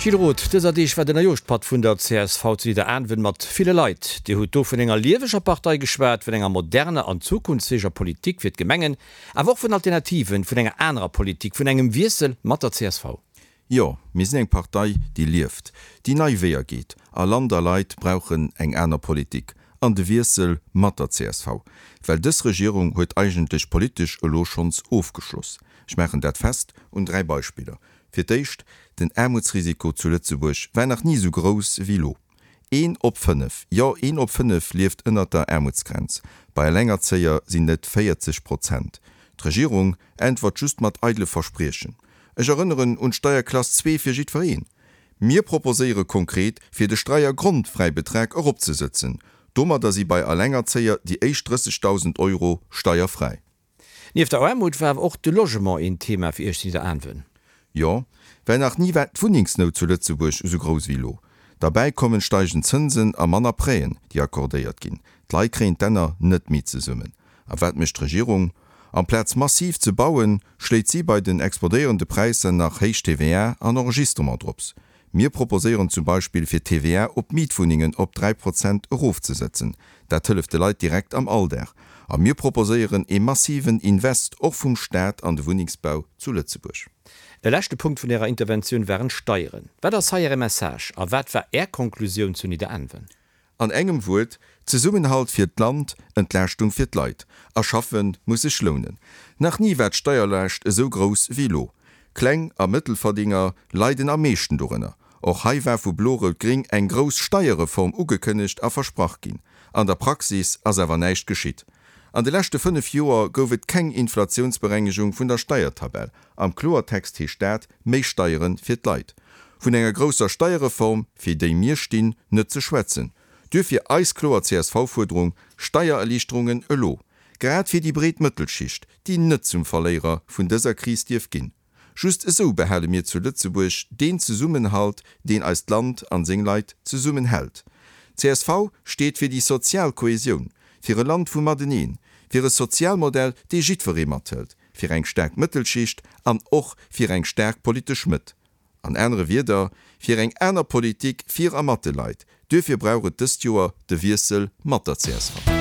Gilles Roth, dëser Deeg war den Neijooschpatt vun der csv zu Nidderaanwen mat ville Leit. Dir hutt do vun enger lieweger Partei geschwat, vun enger moderner an zukunftsfäeger Politik fir d'Gemengen, awer och vun Alternativen, vun enger anerer Politik, vun engem Wiessel mat der csv. Jo, mir sinn eng Partei, déi lieft, déi nei Weeër geet. A Land a Leit brauchen eng aner Politik an de Wiessel mat der csv. Well dës Regierung huet eigentlech politesch elo schonns ofgeschloss. Ech maachen dat fest un 3 Beispiller. Fir d'éischt, den Aarmutsrisiko zu Lëtzebuerg war nach ni esou grouss ewéi elo. Een op 5, jo een op 5 lieft ënnert der Aarmutsgrenz. Bei Elengerzéier sinn et 40 Prozent. D'Regierung äntwert just mat eidele Verspriechen. Ech erënneren un d'Steierklass 2 fir jiddwereen. Mir proposéiere konkret, fir de Streiergrondfräibetrag eropzesëtzen. Domadder si bei Elengerzéier déi éischt 30.000 Euro steierfräi. Nieft der Aarmut war awer och de Logement een Thema fir Iech zu Nidderaanwen. Jo, well nach ni war d'Wunnengsnout zu Lëtzebuerg esou grouss ewéi elo. Derbäi kommen steigend Zënsen a manner Prêten, déi accordéiert ginn. D'Leit kréien d'Enner net méi zesummen. A wat mécht d'Regierung? Amplaz massiv ze bauen, schléit si bei den explodéierende Präisser nach héich TVA an Enregistrement drops. Mir proposéieren zum Beispill fir d'TVA op Mietwunnengen op 3 Prozent erofzesetzen. Dat hëlleft de Leit direkt am Alldag. A mir proposéieren ee massiven Invest och vum Staat an de Wunnengsbau zu Lëtzebuerg. E leschte Punkt vun Ärer Interventioun waren d'Steieren. Wat ass hei Äre Message a wat war Är Konklusioun zu Nidderaanwen? An engem Wuert, Zesummenhalt fir d'Land, Entlaaschtung fir d'Leit. A schaffe muss sech lounen. Nach ni war d'Steierlaascht esou grouss wéi elo. Kleng a Mëttelverdienger leiden am meeschten dorënner. Och hei war vu Blo-Rout-Gring eng grouss Steierreform ugekënnegt a versprach ginn. An der Praxis ass awer näischt geschitt. An de leschte 5 Joer gouf et keng Inflatiounsberengegung vun der Steiertabell. Am Kloertext heescht dat, méi Steiere fir d'Leit. Vun enger grousser Steierreform, fir déi mir stinn, net ze schwätzen. Duerfir eis kloer CSV-Fuerderung, Steiererliichterungen elo! Grad fir déi breet Mëttelschicht, déi net zum Verléierer vun dëser Kris dierf ginn. Just esou behale mir zu Lëtzebuerg deen Zesummenhalt, deen eist Land an seng Leit zesummen hält. Csv steet fir déi sozial Kohesioun, fir e Land vum Mateneen, fir e Sozialmodell, dee jiddweree mathëlt, fir eng staark Mëttelschicht an och fir eng staark politesch Mëtt. An anere Wierder, fir eng aner Politik fir a mat de Leit. Duerfir brauch et dëst Joer de Wiessel mat der csv.